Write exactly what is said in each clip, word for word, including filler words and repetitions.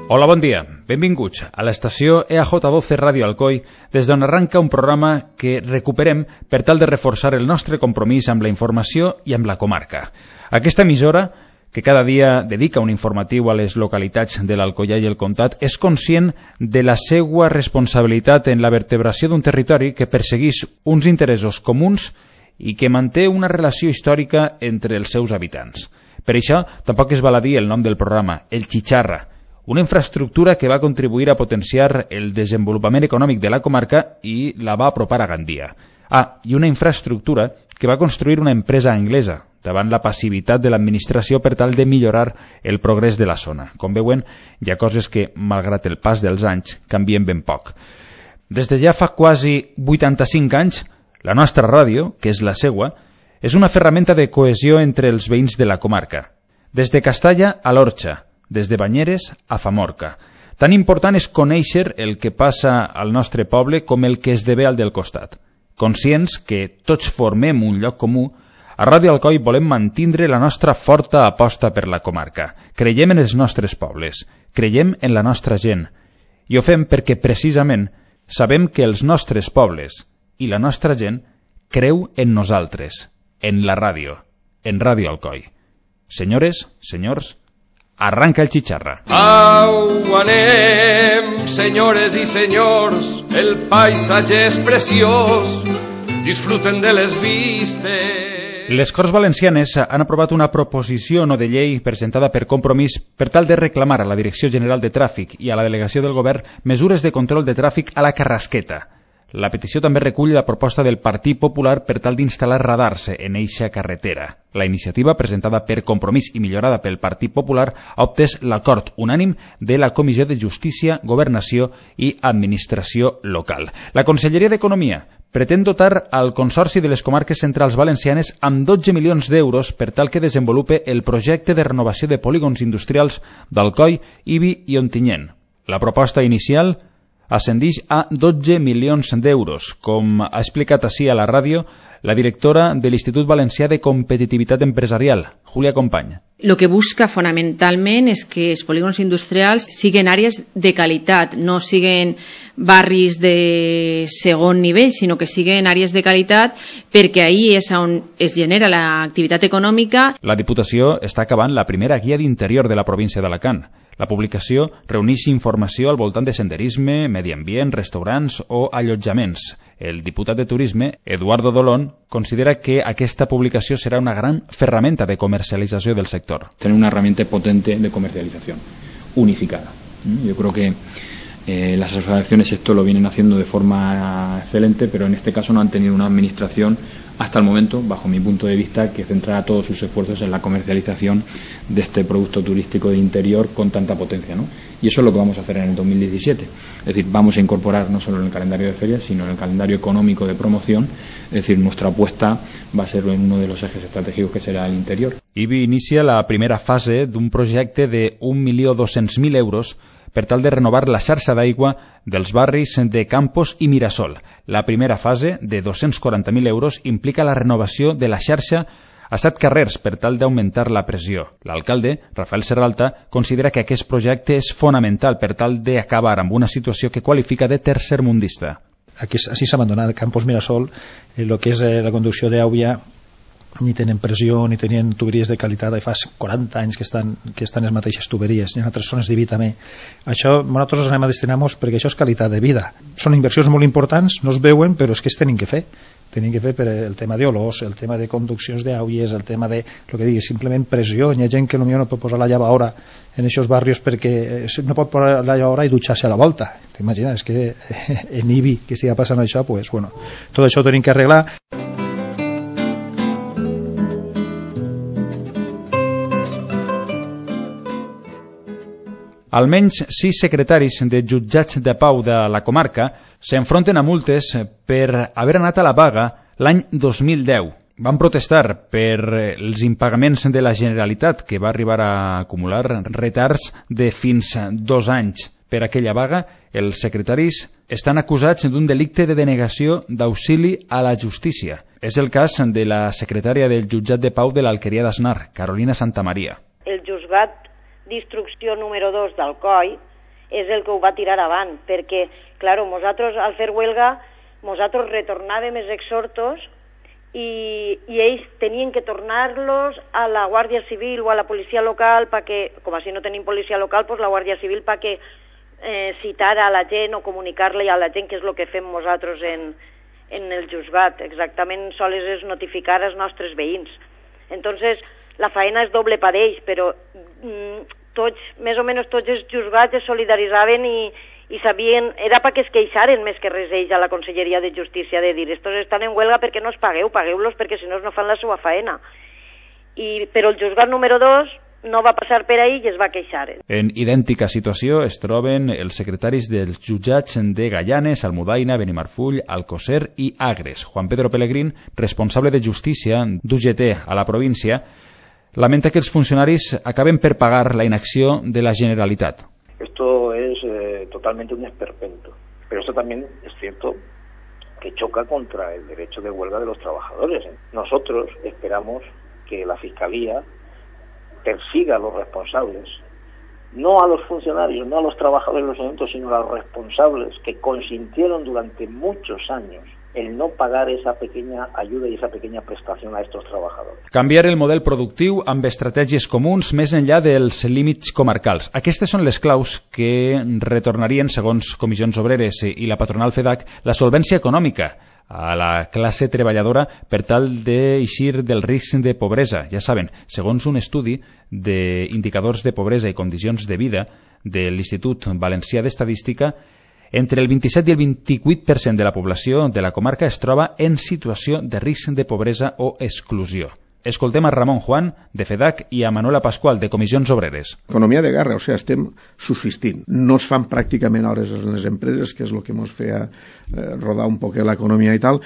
Hola, bon dia. Benvinguts a l'estació E A J dotze Ràdio Alcoi, des d'on arranca un programa que recuperem per tal de reforçar el nostre compromís amb la informació i amb la comarca. Aquesta emissora, que cada dia dedica un informatiu a les localitats de l'Alcoià i el Comtat, és conscient de la seva responsabilitat en la vertebració d'un territori que persegueix uns interessos comuns i que manté una relació històrica entre els seus habitants. Per això, tampoc es val a dir el nom del programa, el Chicharra, una infraestructura que va contribuir a potenciar el desenvolupament econòmic de la comarca i la va apropar a Gandia. Ah, i una infraestructura que va construir una empresa anglesa davant la passivitat de l'administració per tal de millorar el progrés de la zona. Com veuen, hi ha coses que, malgrat el pas dels anys, canvien ben poc. Des de ja fa quasi vuitanta-cinc anys, la nostra ràdio, que és la seua, és una ferramenta de cohesió entre els veïns de la comarca. Des de Castalla a l'Orxa, des de Banyeres a Famorca. Tan important és conèixer el que passa al nostre poble com el que esdevé al del costat. Conscients que tots formem un lloc comú, a Ràdio Alcoi volem mantindre la nostra forta aposta per la comarca. Creiem en els nostres pobles, creiem en la nostra gent, i ho fem perquè precisament sabem que els nostres pobles i la nostra gent creu en nosaltres, en la ràdio, en Ràdio Alcoi. Senyores, senyors, arranca el Chicharra. Au anem, senyores i senyors, el paisatge és preciós, disfruten de les vistes. Les Corts Valencianes han aprovat una proposició no de llei presentada per Compromís per tal de reclamar a la Direcció General de Tràfic i a la Delegació del Govern mesures de control de tràfic a la Carrasqueta. La petició també recull la proposta del Partit Popular per tal d'instal·lar radars en eixa carretera. La iniciativa, presentada per Compromís i millorada pel Partit Popular, ha obtès l'acord unànim de la Comissió de Justícia, Governació i Administració Local. La Conselleria d'Economia pretén dotar al Consorci de les Comarques Centrals Valencianes amb dotze milions d'euros per tal que desenvolupe el projecte de renovació de polígons industrials d'Alcoi, Ibi i Ontinyent. La proposta inicial ascendeix a dotze milions d'euros, com ha explicat així a la ràdio la directora de l'Institut Valencià de Competitivitat Empresarial, Júlia Company. Lo que busca fonamentalment és que els polígons industrials siguin àrees de qualitat, no siguin barris de segon nivell, sinó que siguin àrees de qualitat perquè ahí és on es genera l'activitat econòmica. La Diputació està acabant la primera guia d'interior de la província d'Alacant. La publicació reuneix informació al voltant de senderisme, medi ambient, restaurants o allotjaments. El diputat de Turisme, Eduardo Dolón, considera que aquesta publicació serà una gran ferramenta de comercialització del sector. Tener una herramienta potente de comercialización, unificada. Yo creo que eh, las asociaciones esto lo vienen haciendo de forma excelente, pero en este caso no han tenido una administración hasta el momento, bajo mi punto de vista, que centrara todos sus esfuerzos en la comercialización de este producto turístico de interior con tanta potencia, ¿no? Y eso es lo que vamos a hacer en el dos mil diecisiete. Es decir, vamos a incorporar no solo en el calendario de ferias, sino en el calendario económico de promoción. Es decir, nuestra apuesta va a ser en uno de los ejes estratégicos que será el interior. Ibi inicia la primera fase d'un projecte de un milió dos-cents mil euros per tal de renovar la xarxa d'aigua dels barris de Campos i Mirasol. La primera fase, de dos-cents quaranta mil euros, implica la renovació de la xarxa a set carrers per tal d'augmentar la pressió. L'alcalde, Rafael Serralta, considera que aquest projecte és fonamental per tal d'acabar amb una situació que qualifica de tercermundista. Aquí així s'ha abandonat Campos Mirasol, el que és la conducció d'aigua, ni tenen pressió, ni tenien tuberies de qualitat, i fa quaranta anys que estan, que estan les mateixes tuberies, i en altres zones d'Ibi també. Això nosaltres anem a destinar-nos perquè això és qualitat de vida. Són inversions molt importants, no es veuen, però és que es tenen que fer. Tenen que fer per el tema d'olors, el tema de conduccions d'aigües, el tema de, el que digui, simplement pressió. Hi ha gent que potser no pot posar la llavadora en aquests barris perquè no pot posar la llavadora i dutxar-se a la volta. T'imagines que en Ibi que estigui passant això, pues, bueno, tot això ho tenim que arreglar. Almenys sis secretaris de jutjats de pau de la comarca s'enfronten a multes per haver anat a la vaga l'any dos mil deu. Van protestar per els impagaments de la Generalitat, que va arribar a acumular retards de fins dos anys. per aquella vaga, els secretaris estan acusats d'un delicte de denegació d'auxili a la justícia. És el cas de la secretària del jutjat de pau de l'Alqueria d'Asnar, Carolina Santamaria. El juzgat d'instrucció número dos d'Alcoi és el que ho va tirar avant, perquè, clar, nosaltres al fer huelga, nosaltres retornàvem els exhortos i, i ells tenien que tornar-los a la Guàrdia Civil o a la policia local perquè, com així no tenim policia local, doncs la Guàrdia Civil perquè eh, citara a la gent o comunicar-li a la gent, que és el que fem nosaltres en, en el juzgat. Exactament, sols és notificar als nostres veïns. Entonces, la feina és doble per ells, però mm, tots, més o menys tots els juzgats es solidaritzaven i, i sabien, era perquè es queixaren més que res ells a la Conselleria de Justícia, de dir, estos estan en huelga perquè no es pagueu, pagueu-los perquè si no no fan la seva feina. I, però el juzgat número dos no va passar per ahí i es va queixar. En idèntica situació es troben els secretaris dels jutjats de Gaianes, Almudaina, Benimarfull, Alcocer i Agres. Juan Pedro Pellegrín, responsable de Justícia d'U G T a la província, lamenta que els funcionaris acaben per pagar la inacció de la Generalitat. Esto es eh, totalmente un esperpento, pero esto también es cierto que choca contra el derecho de huelga de los trabajadores. Nosotros esperamos que la Fiscalía persiga a los responsables, no a los funcionarios, no a los trabajadores de los ayuntamientos, sino a los responsables que consintieron durante muchos años el no pagar esa pequeña ayuda y esa pequeña prestación a estos trabajadores. Canviar el model productiu amb estratègies comuns més enllà dels límits comarcals. Aquestes són les claus que retornarien, segons Comissions Obreres i la patronal FEDAC, la solvència econòmica a la classe treballadora per tal d'eixir del risc de pobresa. Ja saben, segons un estudi d'indicadors de pobresa i condicions de vida de l'Institut Valencià d'Estadística, entre el vint-i-set i el vint-i-vuit per cent de la població de la comarca es troba en situació de risc de pobresa o exclusió. Escoltem a Ramon Juan, de FEDAC, i a Manuela Pascual, de Comissions Obreres. Economia de guerra, o sigui, estem subsistint. No es fan pràcticament hores en les empreses, que és el que ens feia eh, rodar un poc l'economia i tal,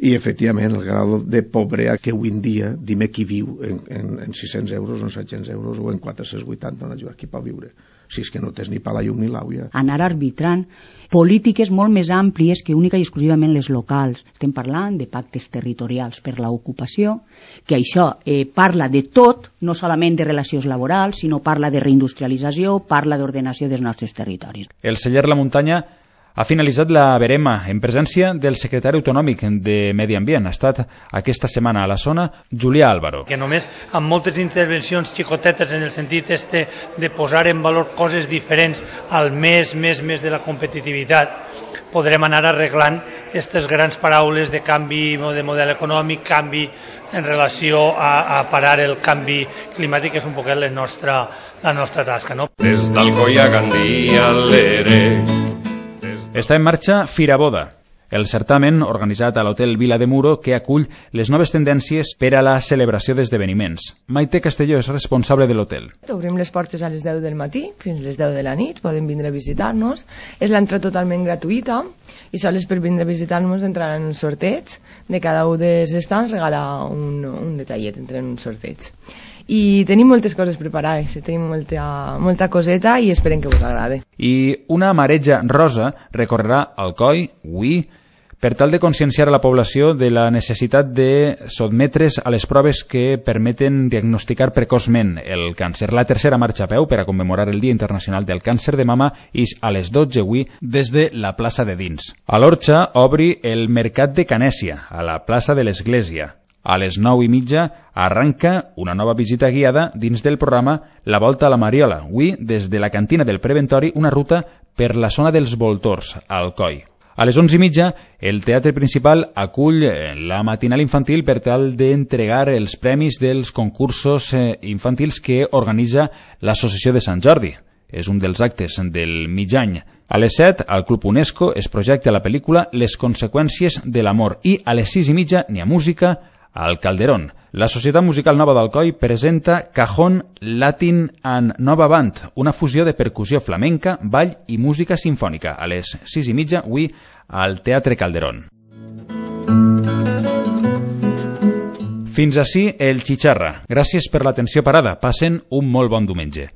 i efectivament el grau de pobresa que avui en dia, dime qui viu en, en, en sis-cents euros, en set-cents euros o en quatre-cents vuitanta, no qui pot viure. Si és que no tens ni pa la llum ni l'àvia. Anar arbitrant polítiques molt més àmplies que única i exclusivament les locals. Estem parlant de pactes territorials per l'ocupació, que això eh, parla de tot, no solament de relacions laborals, sinó parla de reindustrialització, parla d'ordenació dels nostres territoris. El celler La Muntanya ha finalitzat la verema en presència del secretari autonòmic de Medi Ambient. Ha estat aquesta setmana a la zona Julià Álvaro. Que només amb moltes intervencions xicotetes en el sentit este de posar en valor coses diferents al més, més, més de la competitivitat, podrem anar arreglant aquestes grans paraules de canvi de model econòmic, canvi en relació a, a parar el canvi climàtic, que és un poquet la nostra, la nostra tasca. No? Des d'Alcoi a Gandia, l'Ere. Està en marxa Firaboda, el certamen organitzat a l'Hotel Vila de Muro que acull les noves tendències per a la celebració d'esdeveniments. Maite Castelló és responsable de l'hotel. Obrim les portes a les deu del matí fins a les deu de la nit, poden vindre a visitar-nos. És l'entrada totalment gratuïta i sols per vindre a visitar-nos entraran en un sorteig. De cada un dels estants regala un, un detallet entre un sorteig. I tenim moltes coses preparades, tenim molta, molta coseta i esperem que us agrade. I una mareja rosa recorrerà Alcoi, Uí, per tal de conscienciar a la població de la necessitat de sotmetre's a les proves que permeten diagnosticar precoçment el càncer. La tercera marxa a peu per a commemorar el Dia Internacional del Càncer de Mama és a les dotze avui des de la plaça de Dins. A l'Orxa obri el Mercat de Canèsia, a la plaça de l'Església. A les nou i mitja arranca una nova visita guiada dins del programa La Volta a la Mariola. Avui, des de la cantina del Preventori, una ruta per la zona dels Voltors, a Alcoi. A les onze i mitja, el Teatre Principal acull la matinal infantil per tal d'entregar els premis dels concursos infantils que organitza l'Associació de Sant Jordi. És un dels actes del mig any. A les set, al Club UNESCO es projecta la pel·lícula Les conseqüències de l'amor i a les sis i mitja n'hi ha música al Calderón. La Societat Musical Nova d'Alcoi presenta Cajón Latin and Nova Band, una fusió de percussió flamenca, ball i música sinfònica, a les sis i mitja avui al Teatre Calderón. Fins ací el Xixarra. Gràcies per l'atenció parada. Passen un molt bon diumenge.